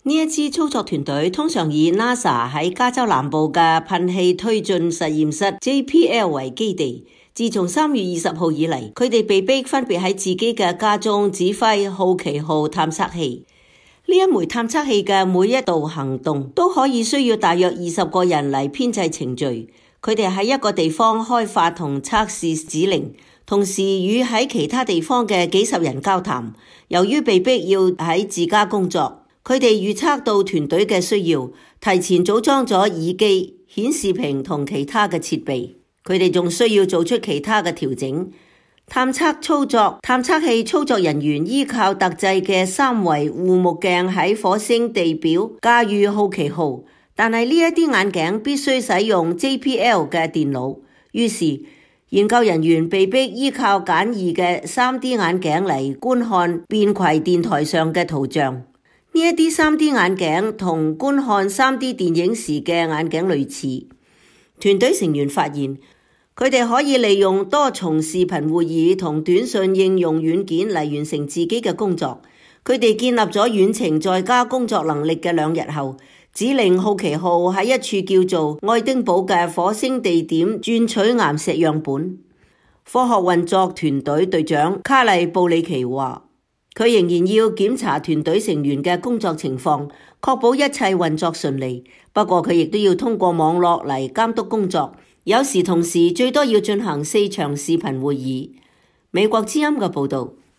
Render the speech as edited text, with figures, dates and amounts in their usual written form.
呢一支操作團隊通常以 NASA 喺加州南部嘅噴氣推進實驗室 JPL 為基地。自從3月20號以嚟，佢哋被逼分別喺自己嘅家中指揮好奇號探測器。呢一枚探測器嘅每一度行動都可以需要大約20個人嚟編製程序。佢哋喺一個地方開發同測試指令，同時與喺其他地方嘅幾十人交談。由於被逼要喺自家工作，佢哋預測到團隊嘅需要，提前組裝咗耳機、顯示屏同其他嘅設備。佢哋仲需要做出其他嘅調整。探測器操作人員依靠特製嘅3維護目鏡喺火星地表駕馭好奇號，但係呢一啲眼鏡必須使用 JPL 嘅電腦。於是研究人員被迫依靠簡易嘅 3D 眼鏡嚟觀看便攜電台上嘅圖像。呢一啲 3D 眼鏡同觀看 3D 電影時嘅眼鏡類似。團隊成員發現，佢哋可以利用多重視頻會議同短信應用軟件嚟完成自己嘅工作。佢哋建立咗遠程在家工作能力嘅2日後，指令好奇號喺一處叫做愛丁堡嘅火星地點鑽取岩石樣本。科學運作團隊隊長卡利布里奇話，佢仍然要檢查團隊成員嘅工作情況，確保一切運作順利。不過佢亦都要通過網絡嚟監督工作，有時同時最多要進行4場視頻會議。美國之音嘅報導。